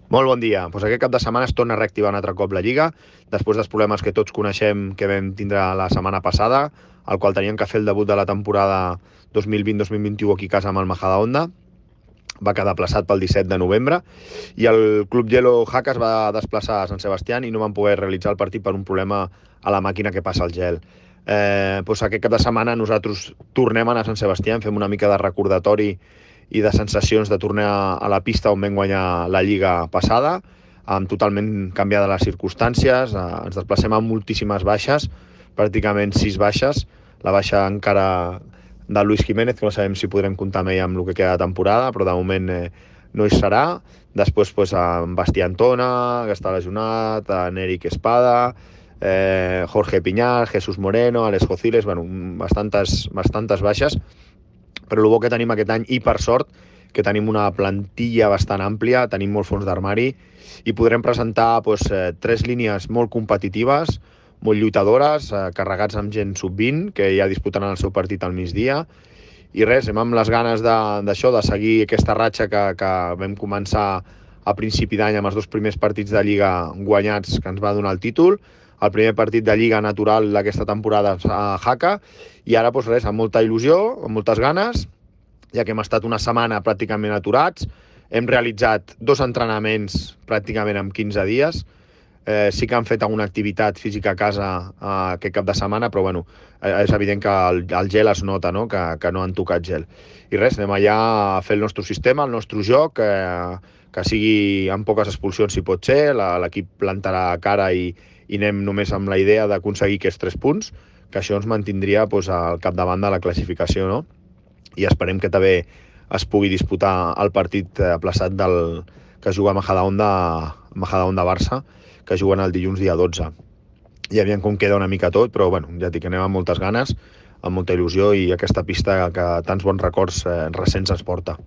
Molt bon dia. Aquest cap de setmana es torna a reactivar un altre cop la Lliga, després dels problemes que tots coneixem que vam tindre la setmana passada, al qual teníem que fer el debut de la temporada 2020-2021 aquí a casa amb el Majadahonda. Va quedar plaçat pel 17 de novembre i el Club Yellow Jaca es va desplaçar a Sant Sebastián i no van poder realitzar el partit per un problema a la màquina que passa el gel. Aquest cap de setmana nosaltres tornem a anar a Sant Sebastián, fem una mica de recordatori i de sensacions de tornar a la pista on vam guanyar la Lliga passada, amb totalment canviades les circumstàncies, ens desplacem amb moltíssimes baixes, pràcticament 6 baixes, la baixa encara de Luis Jiménez, que no sabem si podrem comptar amb ell amb el que queda de temporada, però de moment no hi serà. Després en Bastí Antona, que està lesionat, en Eric Espada, Jorge Piñar, Jesús Moreno, Alex Jociles, bastantes baixes, però el bo que tenim aquest any, i per sort, que tenim una plantilla bastant àmplia, tenim molt fons d'armari, i podrem presentar 3 línies molt competitives, molt lluitadores, carregats amb gent sub-20, que ja disputaran el seu partit al migdia, i res, amb les ganes d'això, de seguir aquesta ratxa que vam començar a principi d'any amb els 2 primers partits de Lliga guanyats que ens va donar el títol, el primer partit de Lliga natural d'aquesta temporada a Jaca, i ara res, amb molta il·lusió, amb moltes ganes, ja que hem estat una setmana pràcticament aturats, hem realitzat 2 entrenaments pràcticament en 15 dies, sí que han fet alguna activitat física a casa aquest cap de setmana, però és evident que el gel es nota, no? Que no han tocat gel. I res, anem allà a fer el nostre sistema, el nostre joc, que sigui amb poques expulsions si pot ser, l'equip plantarà cara i anem només amb la idea d'aconseguir aquests 3 punts, que això ens mantindria al capdavant de la classificació, no? I esperem que també es pugui disputar el partit aplaçat que juga a Majadahonda-Barça, que juguen el dilluns dia 12. I aviam com queda una mica tot, però ja dic que anem amb moltes ganes, amb molta il·lusió, i aquesta pista que tants bons records recents ens porta.